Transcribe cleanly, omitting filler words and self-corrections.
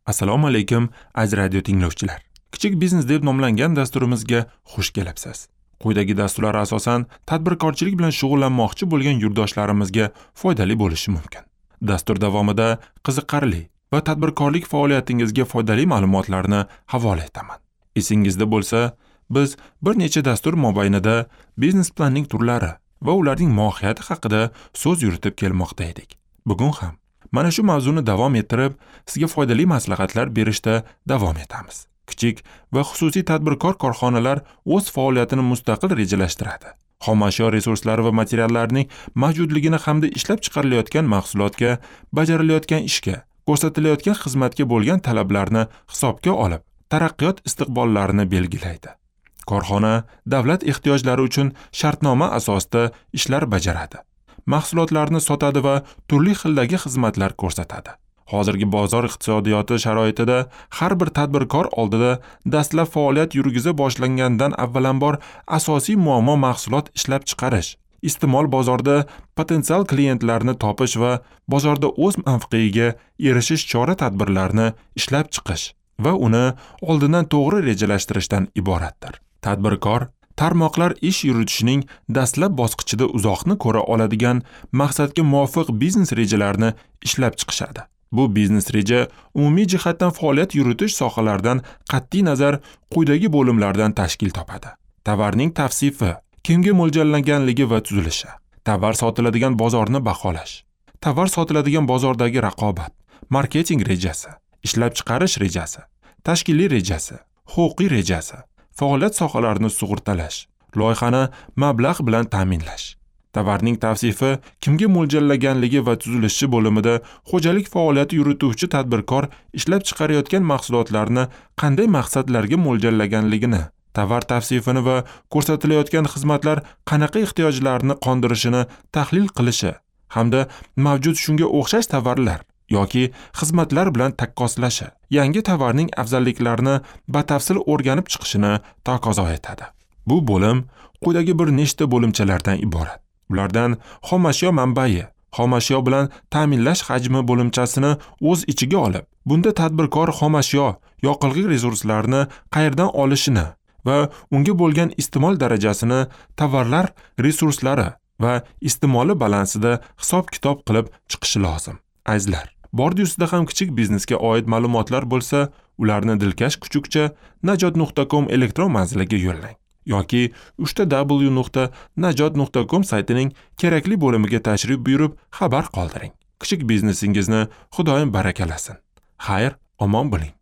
Assalomu alaykum, aziz radio tinglovchilar. Kichik biznes deb nomlangan dasturimizga xush kelibsiz. Quyidagi dasturlar asosan tadbirkorchilik bilan shug'ullanmoqchi bo'lgan yurtdoshlarimizga foydali bo'lishi mumkin. Dastur davomida qiziqarli va tadbirkorlik faoliyatingizga foydali ma'lumotlarni havola etaman. Esingizda bo'lsa, biz bir necha dastur mobaynida biznes planning turlari va ularning mohiyati haqida so'z yuritib kelmoqda edik. Bugun ham mana shu mavzuni davom ettirib, sizga foydali maslahatlar berishda davom etamiz. Kichik va xususiy tadbirkor korxonalar o'z faoliyatini mustaqil rejalashtiradi. Xomashyo resurslari va materiallarning mavjudligini hamda ishlab chiqarilayotgan mahsulotga, bajarilayotgan ishga, ko'rsatilayotgan xizmatga bo'lgan talablarni hisobga olib, taraqqiyot istiqbollarini belgilaydi. Korxona davlat ehtiyojlari uchun shartnoma asosida ishlar bajaradi. Mahsulotlarni sotadi va turli xildagi xizmatlar ko'rsatadi. Hozirgi bozor iqtisodiyoti sharoitida har bir tadbirkor oldida dastlab faoliyat yurgiza boshlangandan avvalambor asosiy muammo mahsulot ishlab chiqarish, iste'mol bozorida potensial klientlarni topish va bozorda o'z mavqeiga erishish chora-tadbirlarini ishlab chiqish va uni oldindan to'g'ri rejalashtirishdan iboratdir. Tadbirkor tarmoqlar ish yuritishining dastlab bosqichida uzoqni ko'ra oladigan maqsadga muvofiq biznes rejalarini ishlab chiqishadi. Bu biznes reja umumiy jihatdan faoliyat yuritish sohalaridan qat'iy nazar quyidagi bo'limlardan tashkil topadi. Tovarning tavsifi, kimga mo'ljallanganligi va tuzilishi, tovar sotiladigan bozorni baholash, tovar sotiladigan bozordagi raqobat, marketing rejasi, ishlab chiqarish rejasi, tashkiliy rejasi, huquqiy rejasi, faoliyat sohalarini sug'urtalash, loyihani mablag' bilan ta'minlash. Tovarning tavsifi kimga mo'ljallaganligi va tuzilishi bo'limida xo'jalik faoliyati yurituvchi tadbirkor ishlab chiqarayotgan mahsulotlarni qanday maqsadlarga mo'ljallaganligini, tovar tavsifini va ko'rsatilayotgan xizmatlar qanaqa ehtiyojlarni qondirishini tahlil qilishi hamda mavjud shunga o'xshash tovarlar yoki xizmatlar bilan taqqoslashi, yangi tovarning afzalliklarini batafsil o'rganib chiqishini taqozo etadi. Bu bo'lim quyidagi bir nechta bo'limchalardan iborat. Ulardan xomashyo manbai, xomashyo bilan ta'minlash hajmi bo'limchasini o'z ichiga olib, bunda tadbirkor xomashyo, yoqilg'i resurslarini qayerdan olishini va unga bo'lgan iste'mol darajasini tovarlar resurslari va iste'moli balansida hisob-kitob qilib chiqishi lozim. Azizlar, bordi ustida ham kichik biznesga oid ma'lumotlar bo'lsa, ularni dilkash kuchukcha najot.com elektron manziliga yo'llang yoki www.najot.com saytining kerakli bo'limiga tashrif buyurib xabar qoldiring. Kichik biznesingizni Xudoyim barakalasin. Xayr, omon bo'ling.